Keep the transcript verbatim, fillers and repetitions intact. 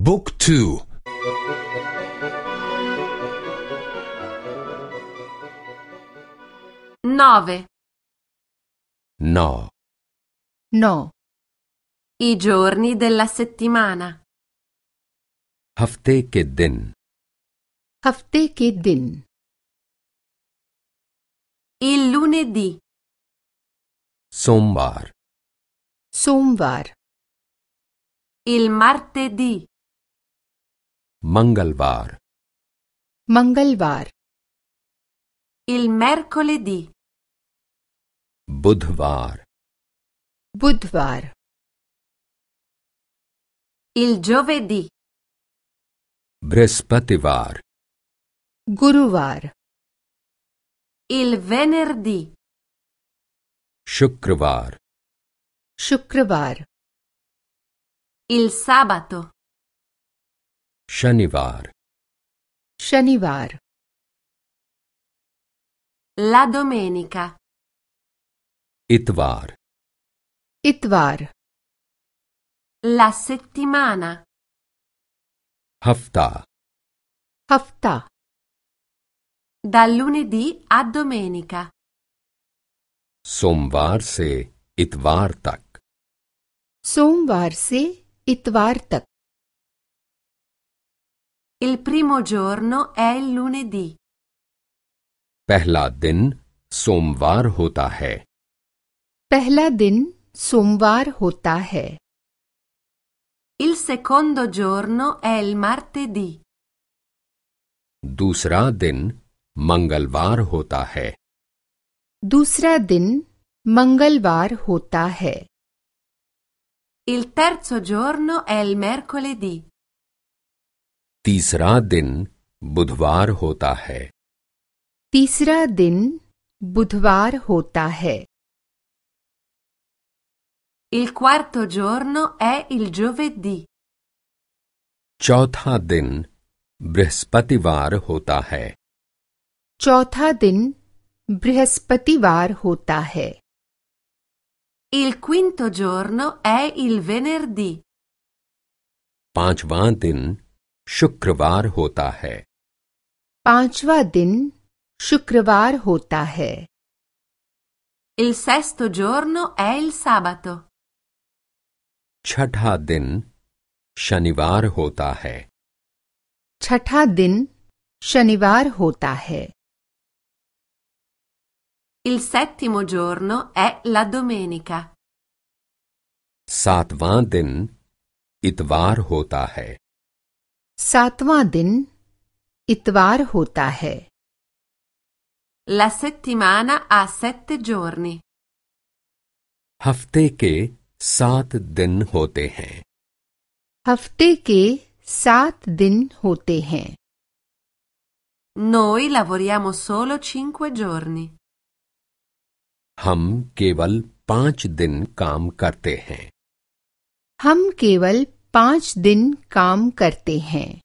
Book two. Nove. Now. Now. I giorni della settimana. हफ्ते K दिन. हफ्ते K दिन. Il lunedì. सोमवार. सोमवार. Il martedì. मंगलवार. मंगलवार. Il mercoledì. बुधवार. बुधवार. Il giovedì. बृहस्पतिवार. गुरुवार. Il venerdì. शुक्रवार. शुक्रवार. Il sabato. शनिवार. शनिवार. La domenica. इतवार. इतवार. La settimana. हफ्ता. हफ्ता. Dal lunedì a domenica. सोमवार से इतवार तक. सोमवार से इतवार तक. Il primo giorno è il lunedì. पहला दिन सोमवार होता है. पहला दिन सोमवार होता है. Il secondo giorno è il martedì. दूसरा दिन मंगलवार होता है. दूसरा दिन मंगलवार होता है. Il terzo giorno è il mercoledì. तीसरा दिन बुधवार होता है. तीसरा दिन बुधवार होता है. Il quarto giorno è il giovedì. चौथा दिन बृहस्पतिवार होता है. चौथा दिन बृहस्पतिवार होता है. Il quinto giorno è il venerdì. पांचवां दिन शुक्रवार होता है. पांचवा दिन शुक्रवार होता है. Il sesto giorno è il sabato. छठा दिन शनिवार होता है. छठा दिन शनिवार होता है. Il settimo giorno è la domenica. सातवां दिन इतवार होता है. सातवां दिन इतवार होता है. La settimana ha sette giorni. हफ्ते के सात दिन होते हैं. हफ्ते के सात दिन होते हैं. Noi lavoriamo solo cinque giorni. हम केवल पांच दिन काम करते हैं. हम केवल पांच दिन काम करते हैं.